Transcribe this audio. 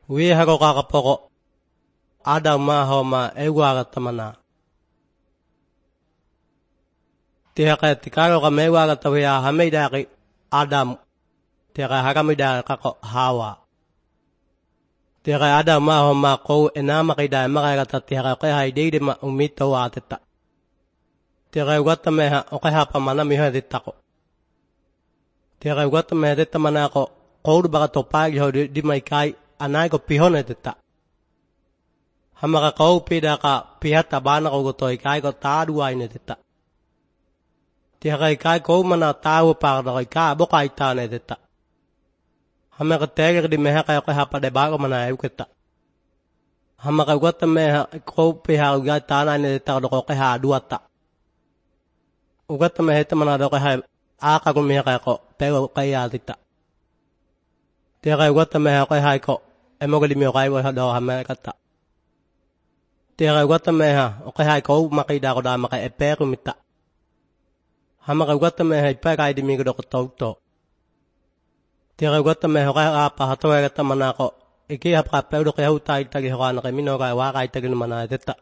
we hago kakapoko Adam ma homa ewaagatamana tiaka tikaro ka mewaagatawiya hamidaki Adam tiaka hakamida kako Hawa tiaka Adam ma homa ko enama kida magata tiaka ka haidide ma umito wateta tiaka watameha okaha pamana miha ditako tiaka watameha detamana ko koud baga topagi ho di mai kai anai ko pihone deta hamaka kau pida ka pihata bana ko gotoi kai ko tadu aine deta tiaka kai ko mana tahu pa do ka bokai tane deta hamaka tege di meha kai ko hapa de bago mana euketa hamaka gota meha ko piha ga tana ne deta do ko ha duata ugata meha tamana do ko ha aka ko meha kai ko pego kai ya deta tiaka wata meha kai hai ko emogli mi kai wa do hama kata tiaka wata meha kai hai ko makai da ko da makai eperu mita hama kai wata meha ipa kai di mi ko ko to tiaka wata meha kai apa hato ga tamana ko iki hapa pe do kai utai tagi ho na kai mino kai wa kai tagi mana deta